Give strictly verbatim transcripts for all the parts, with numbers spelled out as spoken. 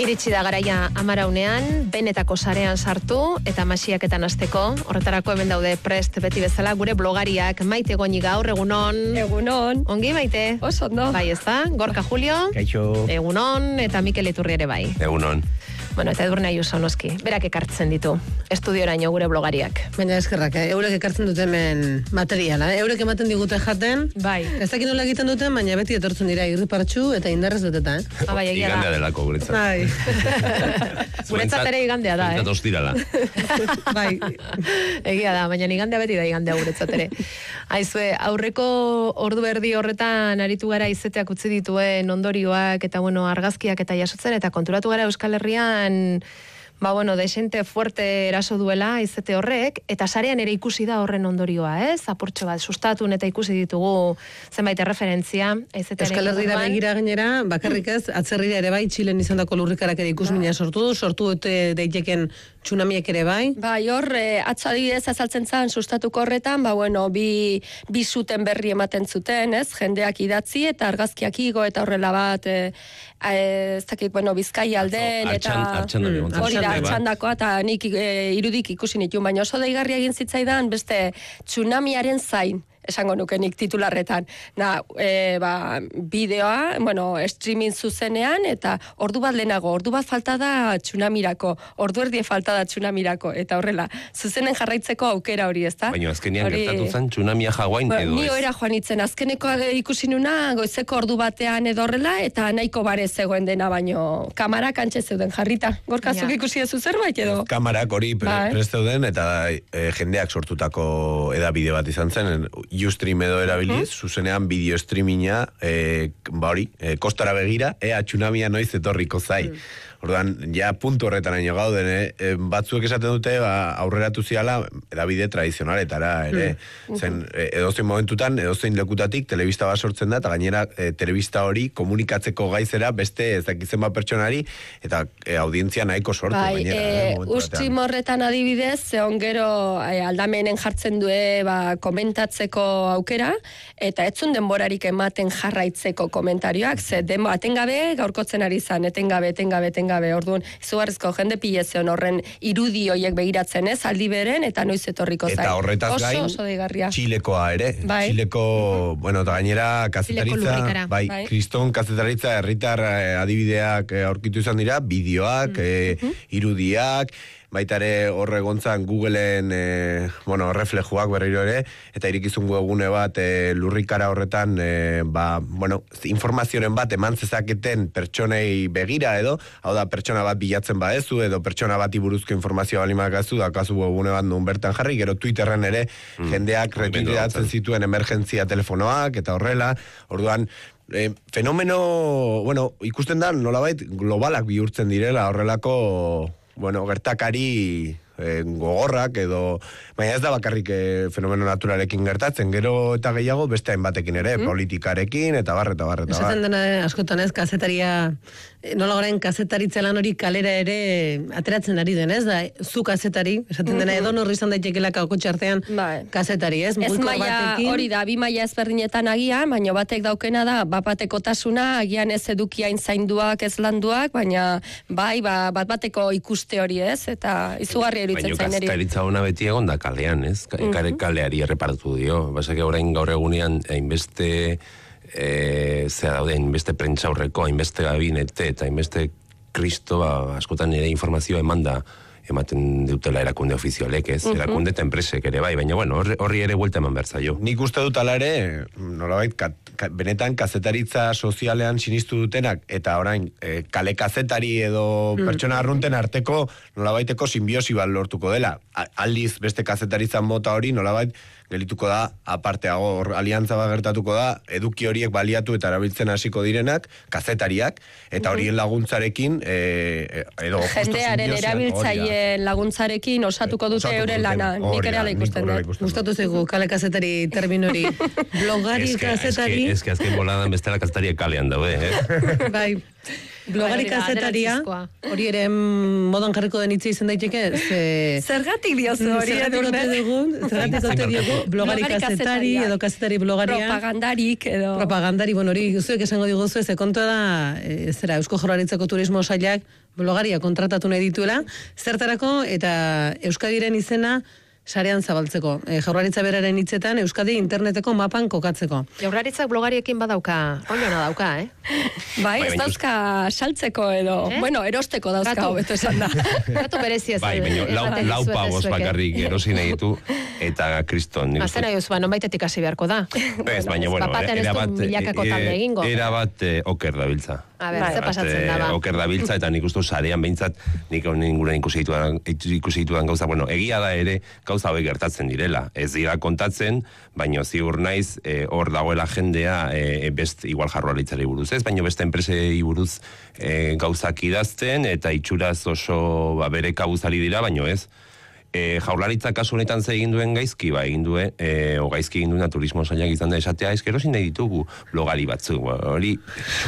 Iritsi da garaia amaraunean, benetako sarean sartu eta masiaketan hasteko. Horretarako hemen daude prest beti bezala gure blogariak. Maite Goñi gaur, egunon. Egunon. Ongi, Maite? Oso, no. Bai, ez da? Gorka Julio. Kaixo. Egunon, eta Mikel Iturri ere bai. Egunon. Bueno, eta Edurne Ayuso noski. Berak ekartzen ditu. Estudioraino gure blogariak. Baina eskerrak, eh? Eurek ekartzen dute hemen materiala, eh? Eurek ematen digute jaten. Bai. Ez dakit nola egiten duten, baina beti etortzen dira irripartxu eta indarrez beteta, eh? Ah, bai, egia da. Igandea delako guretzat. Bai. Guretzat ere igandea da, eh? Guretzat ostirala. Bai. Egia da, baina igandea beti da igandea guretzat ere. Aizue, aurreko ordu erdi horretan aritu gara izeteak utzi dituen ondorioak eta bueno, argazkiak eta jasotzen eta konturatu gara Euskal Herrian ba bueno, desente fuerte eraso duela izete horrek, eta sarean ere ikusi da horren ondorioa, ez? Apurtxo bat, sustatun eta ikusi ditugu zenbait referentzia. Euskal Herrira begira gainera, bakarrik ez, atzerrira ere bai, Txilen izandako lurrikarak ere ikusmina sortu du, sortu dute daiteken tsunamiek ere bai. Bai, hor, eh, atzo adibidez azaltzen zan sustatuko horretan, ba bueno, bi, bi zuten berri ematen zuten, ez? Jendeak idatzi eta argazkiak igo eta horrela bat, eh, eh, ez dakit, bueno, Bizkaia alden, eta... Artxan Mm, hori da, txandakoa, eta nik e, irudik ikusi nituen, baina oso daigarria egin zitzaidan beste tsunamiaren zain, esango nuke nik titularretan. Na, e, ba, bideoa, bueno, streaming zuzenean, eta ordu bat lehenago, ordu bat falta da tsunamirako, ordu erdie falta da tsunamirako, eta horrela, zuzenen jarraitzeko aukera hori, ezta? Baina azkenean hori... gertatu zen tsunamia Hawaiian ba, edo ni ez? oera joan itzen, azkeneko ikusi nuna, goizeko ordu batean edo horrela, eta nahiko bare zegoen dena, baino kamarak antxe zeuden jarrita. Gorkazuk Ja. ikusi ezu zerbait edo? Kamarak hori pre, Bai. prest zeuden eta e, jendeak sortutako edabide bat izan zen, Ustream edo erabiliz, uh-huh. zuzenean bideo streaminga, e, ba hori, e, kostara begira, ea tsunamia noiz etorriko zai. Uh-huh. Orduan, ja puntu horretaraino gauden, eh? batzuek esaten dute, ba, aurreratu ziala edabide tradizionaletara, ere. Mm. Zen, edozein momentutan, edozein lekutatik, telebista bat sortzen da, eta gainera, e, telebista hori komunikatzeko gaizera beste ez dakitzen bat pertsonari, eta e, audientzia nahiko sortu. Bai, gainera, e, eh, ustrim horretan adibidez, zeon gero e, aldamenen jartzen due ba, komentatzeko aukera, eta etzun denborarik ematen jarraitzeko komentarioak, ze demo atengabe gaurkotzen ari zan, etengabe, etengabe, etengabe, orduan, izugarrizko jende pilezion horren irudi hoiek begiratzen ez, aldi beren, eta noiz etorriko zain. Eta horretaz oso, gain, oso deigarria. Txilekoa ere. Bai. Txileko, bueno, eta gainera, kazetaritza, bai, bai. kriston kazetaritza, herritar eh, adibideak eh, aurkitu izan dira, bideoak, mm. eh, irudiak, baita ere horre gontzan Googleen e, bueno, reflejuak berriro ere, eta irikizun webgune bat e, lurrikara horretan e, ba, bueno, informazioren bat eman zezaketen pertsonei begira edo, hau da pertsona bat bilatzen badezu edo pertsona bati buruzko informazioa balimakazu, dakazu webgune bat nun bertan jarri, gero Twitterren ere mm. jendeak retuiteatzen zituen emergentzia telefonoak eta horrela, orduan E, fenomeno, bueno, ikusten da nolabait globalak bihurtzen direla horrelako, bueno, gertakari e, gogorrak edo, baina ez da bakarrik e, fenomeno naturalekin gertatzen, gero eta gehiago beste hainbatekin ere, mm. politikarekin eta barre eta barre eta barre. Esaten dena askotan ez, kazetaria, nola gorain kazetaritza lan hori kalera ere ateratzen ari den, ez da, zu kazetari, esaten dena edo norri izan daitekela kakotxe artean bai. kazetari, ez? Ez maia, hori da, bi maila ezberdinetan agian, baina batek daukena da, bapatekotasuna, agian ez edukiain zainduak, ez landuak, baina bai, ba, bat bateko ikuste hori, ez? Eta izugarri eruditzen zaineri. Baina kazetaritza hona beti egon da kalean, ez? Uh-huh. Kaleari erreparatu dio. Basake orain gaur egunean, hainbeste E, zera daude, hainbeste prentsaurreko, hainbeste gabinete eta hainbeste kristo, ba, askotan ere informazioa eman da, ematen dutela erakunde ofizialek, ez? Uh-huh. Erakunde eta enpresek ere, bai, baina bueno, horri, horri ere buelta eman behar zaio. Nik uste dut ala ere, nolabait, ka, ka, benetan kazetaritza sozialean sinistu dutenak, eta orain, e, kale kazetari edo uh-huh. pertsona arrunten arteko, nolabaiteko simbiosi bat lortuko dela. A, aldiz, beste kazetaritza mota hori, nolabait, gelituko da, aparteago, hor aliantza bat gertatuko da, eduki horiek baliatu eta erabiltzen hasiko direnak, kazetariak, eta horien laguntzarekin, e, edo... Jendearen erabiltzaile laguntzarekin osatuko dute euren lana, nik ere ala ikusten dut. Gustatu zaigu, kale kazetari terminori, blogari kazetari... Ez que azken boladan bestela kazetariak kalean daude, eh? Bai. Blogari kazetaria, hori ere modan jarriko den hitza izan daiteke, ze... Zergatik diozu hori, Edurne? Zergatik ote diogu, blogari kazetari, edo kazetari blogaria. Propagandarik, edo... Propagandari, bueno, hori zuek esango diguzu, ze kontua da, e, zera, Eusko Jaurlaritzako Turismo Sailak blogaria kontratatu nahi dituela, zertarako, eta Euskadiren izena sarean zabaltzeko. E, Jaurlaritza beraren hitzetan Euskadi interneteko mapan kokatzeko. Jaurlaritzak blogariekin badauka, rolona dauka, eh? Bai, ez dauzka saltzeko edo, eh? Bueno, erosteko dauzka, hobeto esan da. Gatu berezia Bai, baina lau, lau pavos bakarrik erosi nahi ditu, eta kriston. Azena jozu, ba, non baitetik hasi beharko da. Ez, baina, bueno, era bat, era bat eh, oker dabiltza. A ber, ze pasatzen da, ba. Oker dabiltza, eta nik uste sarean behintzat, nik inguruan ikusi ditudan, ikusi ditudan gauza, bueno, egia da ere, gauza hauek gertatzen direla. Ez dira kontatzen, baina ziur naiz, hor e, dagoela jendea, e, best, igual Jaurlaritzari buruz ez, baina beste enpresei buruz e, gauzak idazten, eta itxuraz oso ba, bere kabuzari dira, baina ez. E, Jaurlaritza kasu honetan ze egin duen gaizki, ba, egin duen, e, o gaizki egin duen turismo sailak izan da esatea, eskero zin nahi ditugu blogari batzu, hori...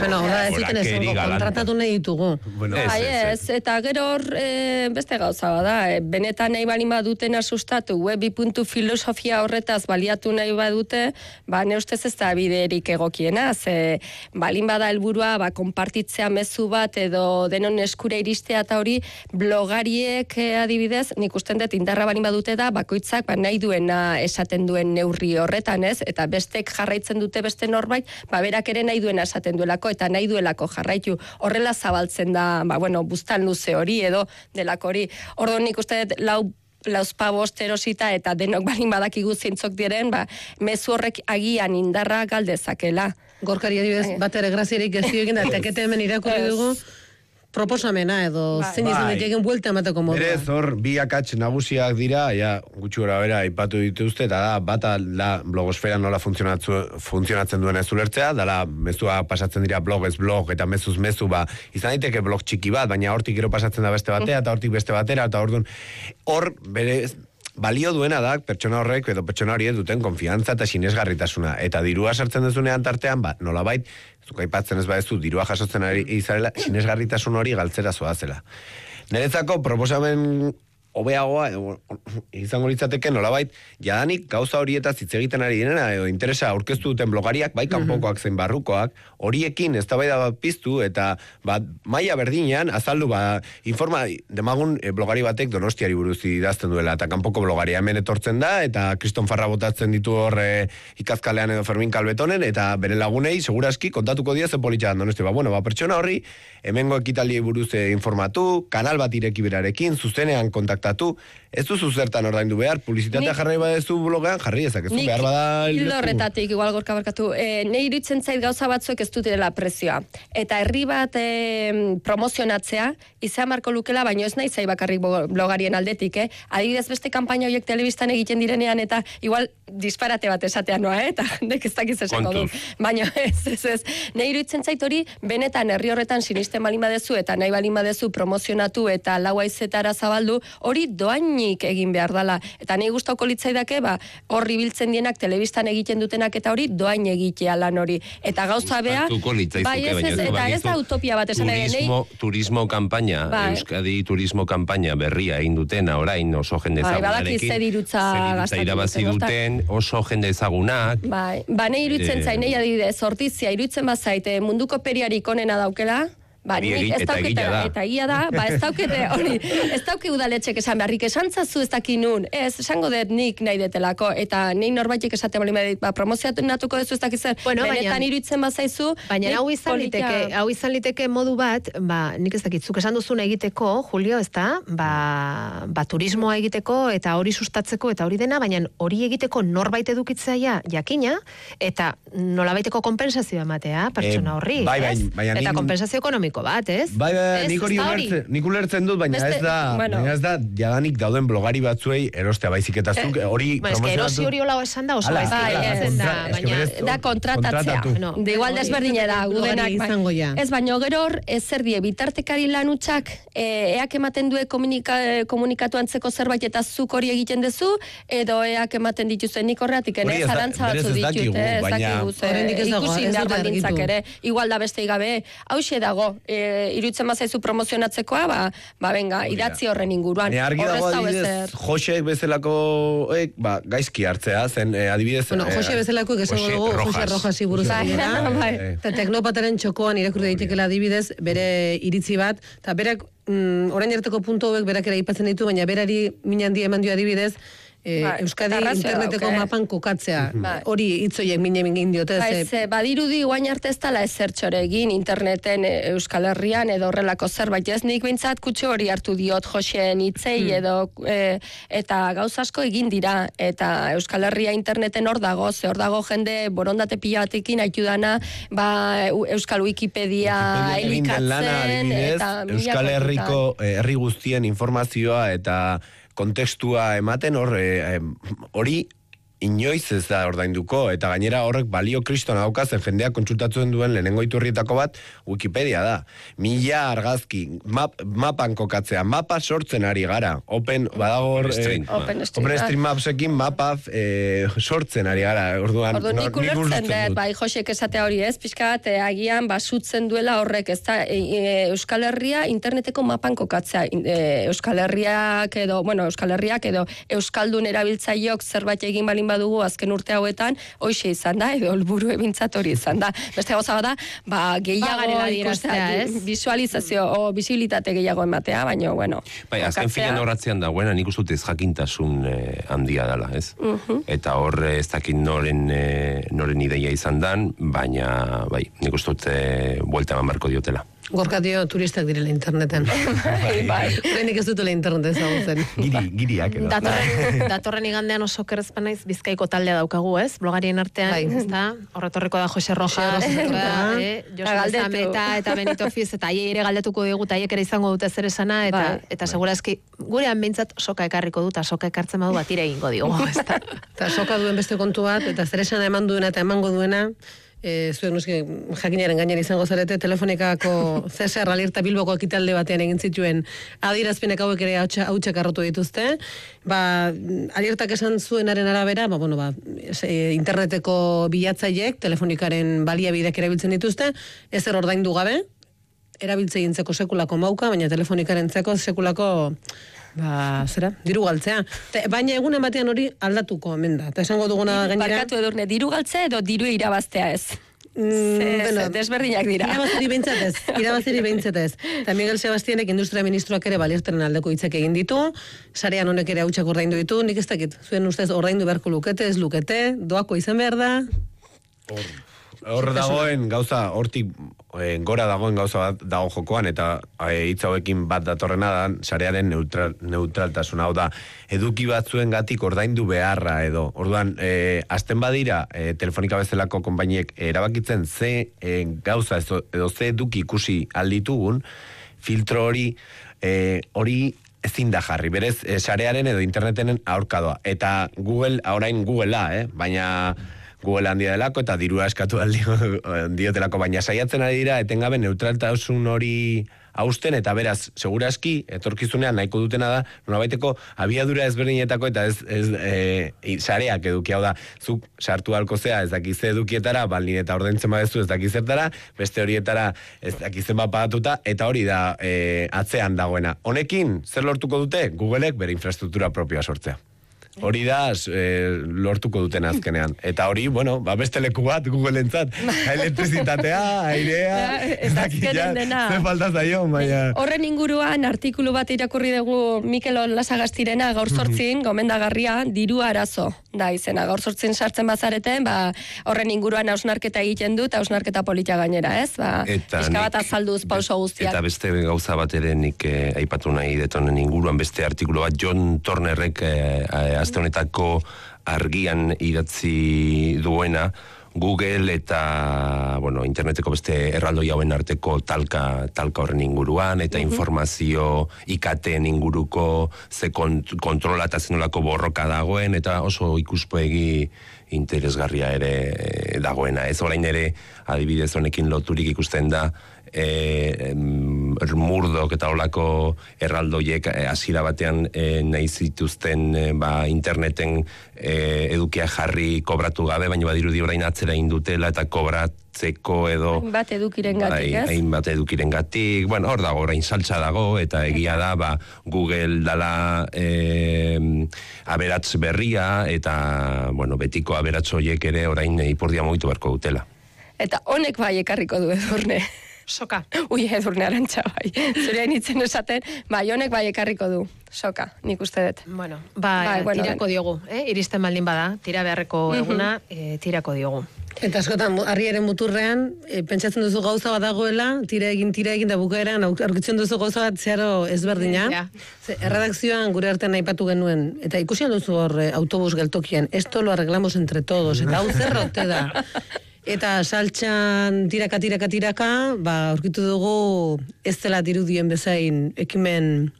Bueno, da, ez duten ez, kontratatu nahi ditugu. Bueno, ez, ez, ez, eta gero hor e, beste gauza bada, e, benetan nahi balin baduten asustatu, webi puntu filosofia horretaz baliatu nahi badute, ba, ne ustez ez da biderik egokiena, ze balin bada helburua, ba, konpartitzea mezu bat, edo denon eskura iristea eta hori, blogariek e, adibidez, nik usten dut indarra balin badute da, bakoitzak ba, nahi duena esaten duen neurri horretan, ez? Eta bestek jarraitzen dute beste norbait, ba, berak ere nahi duena esaten duelako, eta nahi duelako jarraitu. Horrela zabaltzen da, ba, bueno, buztan luze hori, edo delako hori. Orduan nik uste dut, lau lauzpabost erosita, eta denok balin badakigu zeintzok diren, ba, mezu horrek agian indarra galdezakela. Gorkari adibidez, bat ere graziarik ez dio egin da, tekete hemen irakurri dugu, proposamena edo bai. Zein izan diteken buelta emateko modua. Berez, hor, bi akats nagusiak dira, ja, gutxi gora bera, ipatu dituzte, eta da, bata da blogosfera nola funtzionatzen duen ez ulertzea, dala, mezua pasatzen dira blogez blog, eta mezuz mezu, ba, izan daiteke blog txiki bat, baina hortik gero pasatzen da beste batea, eta hortik beste batera, eta hor hor, berez, balio duena da, pertsona horrek edo pertsona horiek duten konfiantza eta sinesgarritasuna. Eta dirua sartzen dezunean tartean, ba, nolabait, zuk aipatzen ez badezu, dirua jasotzen ari izarela, sinesgarritasun hori galtzera zoazela. Niretzako proposamen hobeagoa, izango litzateke nolabait, jadanik gauza horietaz hitz egiten ari direna, edo interesa aurkeztu duten blogariak, bai kanpokoak zein barrukoak, horiekin eztabaida bat piztu, eta ba, maila berdinean, azaldu, ba, informa, demagun e, blogari batek Donostiari buruz idazten duela, eta kanpoko blogaria hemen etortzen da, eta Kriston Farra botatzen ditu hor e, Ikazkalean edo Fermin Kalbetonen, eta bere lagunei, seguraski, kontatuko dia ze politxan Donosti. Ba, bueno, ba, pertsona horri, hemengo ekitaldi buruz e, informatu, kanal bat ireki berarekin, zuzenean kontaktatu, ez duzu zertan ordaindu behar, publizitatea jarri badezu blogean, jarri ezakezu, behar bada... Nik hildo horretatik, igual gorka barkatu, e, ne iruditzen zait gauza batzuek ez dutirela prezioa. Eta herri bat e, promozionatzea, izan marko lukela, baino ez nahi zai bakarrik blogarien aldetik, eh? Adibidez beste kanpaina horiek telebistan egiten direnean, eta igual disparate bat esatean noa, eh? Eta jendek ez dakiz esako du. Baina ez, ez, ez. Ne iruditzen zait hori, benetan herri horretan sinisten balin badezu, eta nahi balin badezu promozionatu, eta lau aizetara zabaldu, hori doainik egin behar dala. Eta nahi gustauko litzaidake, ba, horri biltzen dienak telebistan egiten dutenak eta hori doain egitea lan hori. Eta gauza bea, bai ez, ez, eta ez da utopia bat esan ere. Turismo, turismo kampaña, bai. Euskadi turismo kampaña berria egin dutena, orain oso jende ezagunarekin. Bai, dirutza irabazi duten, oso jende ezagunak. Bai, ba, nahi iruditzen zain, nahi adibidez, hortizia, iruditzen bazaite, munduko periarik onena daukela, ba, nik ez daukete, eta egia da, ba, ez daukete, hori, ez dauke udaletxek esan beharrik, esan zazu ez dakin nun, ez, esango dut nik nahi detelako, eta nik norbaitek esate bali medit, ba, promozioatu natuko dezu ez dakizen, bueno, benetan iruditzen bazaizu, baina hau izan liteke, hau izan liteke modu bat, ba, nik ez dakitzuk esan duzun egiteko, Julio, ez da, ba, ba, turismoa egiteko, eta hori sustatzeko, eta hori dena, baina hori egiteko norbait edukitzaia jakina, eta nolabaiteko kompensazioa ematea, pertsona horri, bai, bai, bai, eta kompensazio ekonomiko bat, ez? Bai, bai, nik hori ulertzen, nik ulertzen dut, baina ez da, bueno. baina ez da, jadanik dauden blogari batzuei erostea baizik eta zuk, hori eh, promozionatu. Erosi hori hola esan da, oso baizik da, baina da kontratatzea. No, de igual desberdine da, gudenak. Ez, baina gero hor, ez zer die, bitartekari lanutxak, eak ematen due komunika, komunikatu antzeko zerbait eta zuk hori egiten dezu, edo eak ematen dituzuen nik horretik, ene, zarantza batzu ditut, ez dakigu, ikusi indar baldintzak ere, igual da beste igabe, hauxe dago, e, irutzen bazaizu promozionatzekoa, ba, ba venga, idatzi horren inguruan. Baina argi dago adibidez, Josek bezalako, eh, ba, gaizki hartzea, zen eh, adibidez... Bueno, Jose bezalako, esango dugu, Jose Rojasi buruz dira. Eta teknopataren txokoan irakurri daitekela adibidez, bere iritzi bat, eta berak, mm, orain arteko puntu hauek berak ere aipatzen ditu, baina berari min handia eman dio adibidez, E, Ba, Euskadi arrazoi interneteko dauk, eh? mapan kokatzea. Ba. Hori hitzoiek mine mingin diote. Ba, ze- ez, eh, badirudi guain arte ez dala ezertxore egin interneten eh, Euskal Herrian edo horrelako zerbait. Ez nik behintzat kutxo hori hartu diot Joseen hitzei edo eh, eta gauza asko egin dira. Eta Euskal Herria interneten hor dago, ze hor dago jende borondate pila batekin haitu dana, ba, Eu- Euskal Wikipedia Wikipedia egin den lana, elikatzen adibidez, eta mila Euskal kontutan. Herriko eh, herri guztien informazioa eta kontekstua ematen hor eh, eh, hori inoiz ez da ordainduko, eta gainera horrek balio kristona daukazen jendeak kontsultatzen duen lehenengo iturrietako bat Wikipedia da. Mila argazki, map, mapan kokatzea, mapa sortzen ari gara. Open, badago hor... Stream. eh, Open Stream, Open ah. Stream Mapsekin mapa eh, sortzen ari gara. Orduan, Ordu nik nor- ulertzen dut, bai, Josek esatea hori ez, pixka bat, eh, agian basutzen duela horrek, ez da, e, e, Euskal Herria interneteko mapan kokatzea, e, Euskal Herriak edo, bueno, Euskal Herriak edo Euskaldun erabiltzaileok zerbait egin balin badugu azken urte hauetan, hoxe izan da, edo helburu ebintzat hori izan da. Beste gauza bada, ba, gehiago Pagarela adieraztea, ikustea, ez? visualizazio o visibilitate gehiago ematea, baina, bueno. Bai, azken kokatzea- filan horratzean dagoena, nik uste dut ez jakintasun eh, handia dela, ez? Eta hor eh, ez dakit noren, eh, noren ideia izan dan, baina, bai, nik uste dut eh, buelta eman barko diotela. Gorka dio turistak direla interneten. bai. Horrenik ez dutela internet ezagutzen. Giri, giriak edo. Datorren, datorren igandean oso kerrezpa naiz Bizkaiko taldea daukagu, ez? Blogarien artean, Bai. ez da? Horretorreko da Jose Rojas, Jose Rojas, eta, eh? eh, Jose Galdetu. Zameta eta Benito Fiz, eta haiei ere galdetuko digu, eta haiek ere izango dute zer esana, eta, Bai. eta segurazki, gurean behintzat soka ekarriko dut, eta soka ekartzen badu bat ire egingo digu, ez da? Eta soka duen beste kontu bat, eta zer esan eman duena eta emango duena, e, zuen nuski jakinaren gainera izango zarete, telefonikako C S R Alerta Bilboko ekitalde batean egin zituen adierazpenek hauek ere hautsa hautsak arrotu dituzte. Ba, alertak esan zuenaren arabera, ba, bueno, ba, e, interneteko bilatzaileek telefonikaren baliabideak erabiltzen dituzte, ezer ordaindu gabe, erabiltze egintzeko sekulako mauka, baina telefonikarentzako sekulako ba, zera, diru galtzea. Te, baina egunen batean hori aldatuko omen da. Eta esango duguna gainera... Barkatu edurne, diru galtzea edo diru irabaztea ez. Mm, Ze- bueno, ze desberdinak dira. Irabaziri behintzat ez, irabaziri behintzat ez. Eta Miguel Sebastianek industria ministroak ere balierteren aldeko hitzak egin ditu, sarean honek ere hautsak ordaindu ditu, nik ez dakit, zuen ustez ordaindu beharko lukete, ez lukete, doako izan behar da. Hor dagoen gauza, hortik eh, gora dagoen gauza bat dago jokoan, eta eh, hitz hauekin bat datorrena da, sarearen neutral, neutraltasuna, hau da, eduki batzuen gatik ordaindu beharra edo. Orduan, eh, azten badira, eh, telefonika bezalako konpainiek erabakitzen ze eh, gauza edo, edo ze eduki ikusi alditugun, filtro hori, eh, hori ezin da jarri, berez, eh, sarearen edo internetenen aurkadoa. Eta Google, orain Googlea, eh? baina... Google handia delako eta dirua eskatu aldio, diotelako, baina saiatzen ari dira etengabe neutraltasun hori hausten, eta beraz, seguraski, etorkizunean nahiko dutena da, norabaiteko abiadura ezberdinetako eta ez, ez e, sareak eduki, hau da, zuk sartu halko zea, ez dakize edukietara, balin eta ordaintzen badezu ez dakizertara, beste horietara ez dakizen bat pagatuta, eta hori da e, atzean dagoena. Honekin, zer lortuko dute? Googleek bere infrastruktura propioa sortzea. Hori da e, lortuko duten azkenean. Eta hori, bueno, ba beste leku bat Google-entzat. Elektrizitatea, airea, Ez da azkenen dena. Ze falta zaio, baina... Horren inguruan artikulu bat irakurri dugu Mikel Olasagastirena gaur sortzin, gomendagarria, diru arazo da izena. Gaur sortzin sartzen bazareten, ba, horren inguruan hausnarketa egiten dut, hausnarketa polita gainera, ez? Ba, Eta pixka bat nik- azalduz pauso guztiak. Eta beste gauza bat ere nik eh, aipatu nahi detonen inguruan beste artikulu bat John Turnerrek eh, aste honetako argian idatzi duena, Google eta bueno, interneteko beste erraldoi hauen arteko talka, talka horren inguruan, eta informazio ikateen inguruko ze kont kontrola eta zenolako borroka dagoen, eta oso ikuspegi interesgarria ere eh, dagoena. Ez orain ere, adibidez honekin loturik ikusten da, e, murdok eta olako erraldoiek hasiera batean e, nahi zituzten e, ba, interneten e, edukia jarri kobratu gabe, baina badirudi orain atzera indutela eta kobrat sortzeko edo... Hainbat edukiren gatik, ez? Hainbat edukiren gatik, bueno, hor dago, orain saltza dago, eta egia da, ba, Google dala e, aberats berria, eta, bueno, betiko aberats horiek ere orain ipurdia mugitu beharko dutela. Eta honek bai ekarriko du Edurne. Soka. Ui, Edurne Arantxa bai. Zure hainitzen esaten, bai, honek bai ekarriko du. Soka, nik uste dut. Bueno, ba, Bai, bueno, tirako den. diogu, eh? Iristen baldin bada, tira beharreko eguna, eh, tirako diogu. Eta askotan, harriaren muturrean, e, pentsatzen duzu gauza bat dagoela, tira egin, tira egin, da bukaeran, aurkitzen duzu gauza bat zeharo ezberdina. Ja. Ze, erredakzioan gure artean aipatu genuen, eta ikusi duzu hor e, autobus geltokian, esto lo arreglamos entre todos, eta hau zerrote da. Eta saltxan tiraka, tiraka, tiraka, ba, aurkitu dugu ez dela dirudien bezain ekimen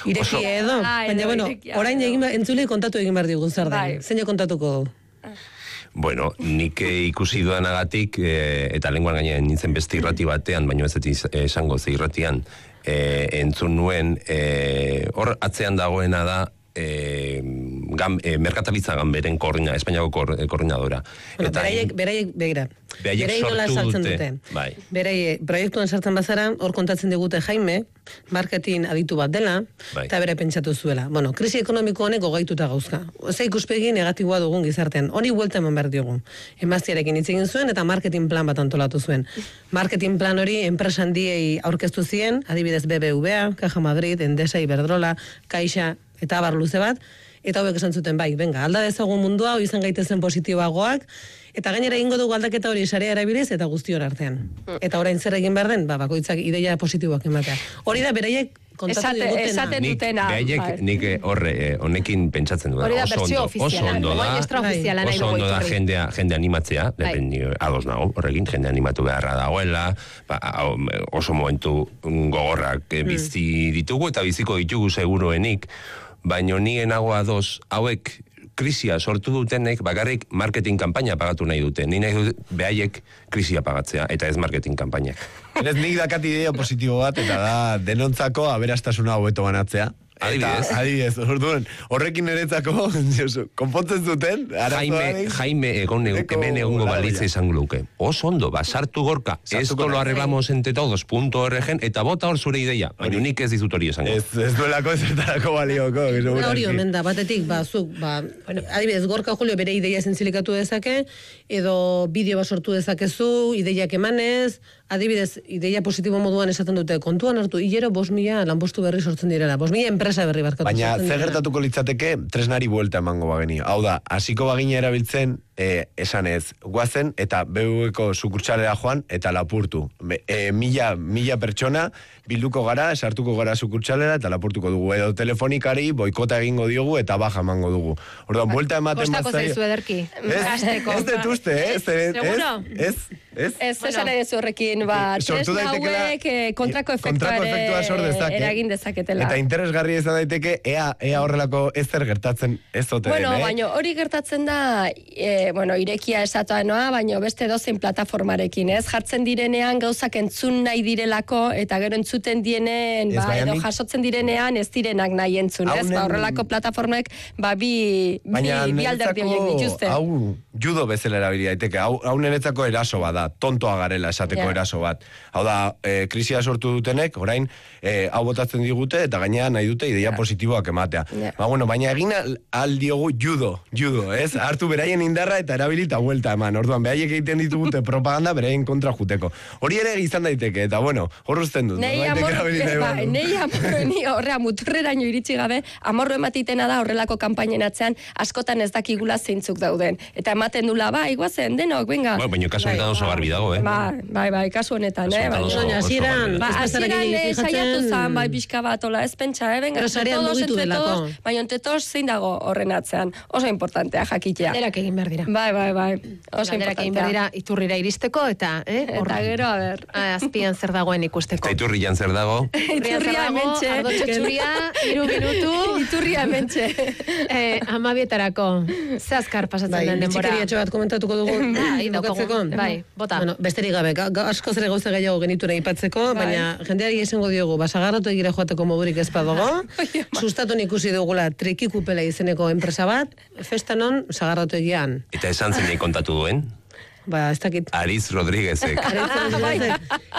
ireki edo. Ai, Baina, edo, bueno, irekia, orain edo. egin, entzulei kontatu egin behar digu zer Bai. den. Zein kontatuko du? Bueno, nik eh, ikusi dudanagatik, eh, eta lenguan gainean nintzen beste irrati batean, baina ez ez esango ze irratian, eh, entzun nuen, eh, hor atzean dagoena da, eh, gam, eh, merkataritza ganberen koordina, Espainiako kor, eh, koordinadora. Bueno, beraiek, beraiek, begira. Beraiek Beraiek nola sortu saltzen dute, dute. bai. Beraiek, proiektuan sartzen bazara, hor kontatzen digute Jaime, marketing aditu bat dela, Bai. eta bere pentsatu zuela. Bueno, krisi ekonomiko honek gogaituta gauzka. Ze ikuspegi negatiboa dugun gizartean. Hori buelta eman behar diogu. Emaztiarekin hitz egin zuen eta marketing plan bat antolatu zuen. Marketing plan hori enpresa handiei aurkeztu zien, adibidez B B V A, Caja Madrid, Endesa, Iberdrola, Caixa, eta abar luze bat, eta hauek esan zuten bai, venga, alda dezagun mundua, hori izan gaitezen positiboagoak, eta gainera egingo dugu aldaketa hori sarea erabiliz eta guztion artean. Eta orain zer egin behar den, ba, bakoitzak ideia positiboak ematea. Hori da beraiek kontatu Esate- digutena. esaten Nik, dutena, behaiek, bai. nik eh, horre, eh, honekin pentsatzen du. Hori da Oso bertsio ondo, oso ofiziala. ondo da, Oain extraofiziala nahi oso dugu ondo da iturri. jendea, jende animatzea, Bai. bai. Ni ados nago, horrekin, jende animatu beharra dagoela, ba, hau, oso momentu gogorrak eh, bizi ditugu eta biziko ditugu seguruenik, baino nien nago ados, hauek krisia sortu dutenek bakarrik marketing kanpaina pagatu nahi dute. Ni nahi dut behaiek krisia pagatzea, eta ez marketing kanpainak. Ez nik dakat idea positibo bat, eta da denontzako aberastasuna hobeto banatzea. Adibidez. Eta, adibidez, orduan, horrekin niretzako, konpontzen zuten, Jaime, arazoa Jaime egon egun, Eko hemen egungo balagoia. balitza izango luke. Oso ondo, basartu gorka, Sartuko esto lo naiz. arreglamos entre todos, punto org, eta bota hor zure ideia. Baina nik ez dizut hori esango. Ez, ez duelako ezertarako balioko. que Hori segurazki. omen da, batetik, ba, zuk, ba, bueno, adibidez, Gorka Julio bere ideia zentzilikatu dezake, edo bideo bat sortu dezakezu, ideiak emanez, adibidez, ideia positibo moduan esaten dute, kontuan hartu, hilero bos mila lanpostu berri sortzen direla, bos mila enpresa berri barkatu Baina, sortzen zer direla. gertatuko litzateke, tresnari buelta emango bageni. Hau da, hasiko bagina erabiltzen, e, esan ez, guazen, eta B B Ko sukurtsalera joan, eta lapurtu. Be, e, mila, mila pertsona, bilduko gara, sartuko gara sukurtsalera, eta lapurtuko dugu. Edo telefonikari, boikota egingo diogu, eta baja emango dugu. Orduan, buelta ematen Kostako bazai- zaizu ederki. Ez, Hasteko. ez dut uste, eh? Ez, ez, Seguro? ez, ez, Ez, Bueno. esan edo horrekin, ba, Sortu tresna daitekeela- hauek eh, kontrako efektua kontrako efektua sor ere dezake. eragin dezaketela. Eta interesgarria izan daiteke, ea, ea horrelako ezer gertatzen ez zote Bueno, den, eh? baina hori gertatzen da, e, bueno, irekia esatoa noa, baina beste dozein plataformarekin, ez? Jartzen direnean gauzak entzun nahi direlako, eta gero entzuten dienen, Ez, ba, baina edo nik- jasotzen direnean ez direnak nahi entzun, ez? Haunen- Ba, horrelako plataformek, ba, bi, bi, Baina bi alderdi horiek niretzako, dituzte. hau judo bezala erabili daiteke, hau, hau niretzako eraso bat da, tontoa garela esateko Ja. eraso bat. Hau da, e, krisia sortu dutenek, orain, e, hau botatzen digute, eta gainera nahi dute ideia positiboak ematea. Ja. Ba, bueno, baina egin al- al diogu judo, judo, ez? Hartu beraien indarra eta erabili eta vuelta eman. Orduan, beraiek egiten ditugute propaganda beraien kontra juteko. Hori ere izan daiteke, eta bueno, hor uzten dut. Nei norbaitek amor, erabili nahi ba, badu. nei amor, ni horrea muturreraino iritsi gabe, amorro ematitena da horrelako kanpainen atzean askotan ez dakigula zeintzuk dauden. Eta ematen dula, ba, iguazen, denok, venga. Bueno, baina kasu honetan oso garbi dago, eh? Ba, bai, bai, kasu honetan, Kasu eh? honetan Baina- oso- Baina, oso hasieran, garbi Ba, dago. ez bezala hasieran gehiago eh, fijatzen- saiatu zan, bai, pixka bat, ola, ez pentsa, eh? Venga, Pero entre sarean todos, mugitu entre delako. todos, baina entre todos zein dago horren atzean. Oso importantea jakitea. Denak egin behar dira. Bai, bai, bai. Oso Galderak egin behar importantea. dira iturrira iristeko, eta, eh? hor- Eta gero, a ber. Ah, azpian zer dagoen ikusteko. Eta iturrian zer dago? Iturria zer Iturria dago, hementxe. ardo txotxuria, hiru minutu, Iturria hementxe. eh, amabietarako. Ze azkar pasatzen Bai, den denbora. bitxikeriatxo bat komentatuko dugu. Bai, daukagu. bukatzeko. Bai, bota. Bueno, besterik gabe, ga, ga, asko zere gauza gehiago genitura ipatzeko, baina jendeari esango diogu, basagarratu egira joateko modurik ez badago, sustatu ikusi dugula trikikupela izeneko enpresa bat, festanon sagarratu egian. Eta esan zenei kontatu duen? ba, ez dakit. Ariz Rodríguezek.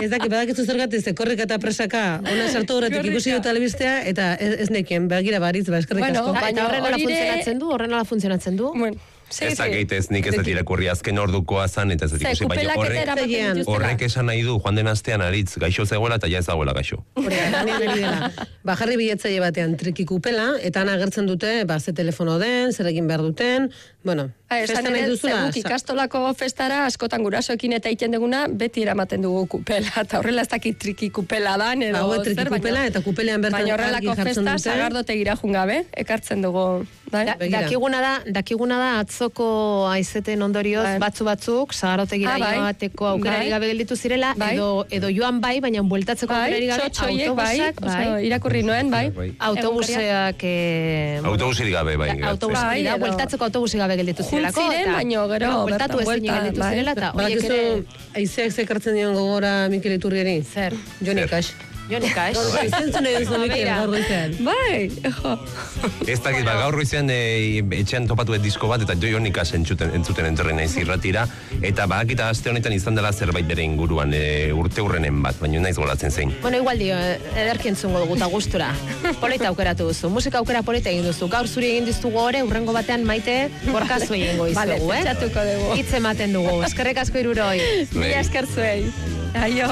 Ez dakit, badakizu zergatik, ze korrika eta presaka, ona sartu horretik ikusi dut telebistea, eta ez, ez nekien, begira baritz, ba, eskerrik Bueno, asko. baina Eta horren nola hori ere- funtzionatzen du, horren nola funtzionatzen du. Bueno, sí, Ez sí. dakit ez nik ez dut irakurri azken ordukoa zan, eta ez dut Ze, ikusi, baina kupelak eta horrek, eramaten Zegian. dituztela. horrek esan nahi du, joan den astean aritz gaixo zegoela eta ja ez dagoela gaixo. Hori, lanean ari dela. Ba, jarri biletzaile batean triki kupela, eta han agertzen dute, ba, ze telefono den, zer egin behar duten, bueno, Ha, esan festa nahi ere, duzula, zeguk ikastolako festara askotan gurasoekin eta egiten duguna, beti eramaten dugu kupela, eta horrela ez dakit triki kupela dan, edo Ba, hau triki zer, kupela, eta kupelean bertan baina argi horrelako jartzen festa dute. sagardotegira jungabe, ekartzen dugu. Bai? Da, Begira. dakiguna da, dakiguna da atzoko aizeten ondorioz Bai. batzu batzuk zagarotegira Ah, bai. joateko aukerari Bai. gabe gelditu zirela Bai. edo edo joan bai, baina bueltatzeko Bai, aukerari gabe txotxoiek, bai, autobusak, bai, oso, irakurri nuen, bai. Bai. autobuseak eh, bueno, Autobusirik gabe, bai. autobus Bai, hori da, edo- bueltatzeko autobusi gabe gelditu zirelako. Jun ziren, eta- baino gero, bueno, bueltatu bertan ezin buelta, gelditu bai. zirela, eta horiek Badakizu, ere... aizeak zekartzen dion gogora Mikel Iturrieri? Zer? Joni Zer. Kax. Jonika, ez? Gaur zentzun nahi duzu Mikel, Begira. gaur goizean. Bai, jo. Ez dakit, ba, gaur goizean e, etxean topatu et disko bat, eta jo nik entzuten, entzuten entorren naiz irratira, eta badakita aste honetan izan dela zerbait bere inguruan, e, urte urrenen bat, baina naiz goratzen zein. Bueno, igual dio, ederki entzungo dugu eta gustura. Polita aukeratu duzu, musika aukera polita egin duzu. Gaur zuri egin diztugu ore, urrengo batean Maite, gorkazu egingo Vale, izugu, eh? pentsatuko dugu. Hitz ematen dugu, eskerrek asko iruroi. Mila esker zuei. Aio.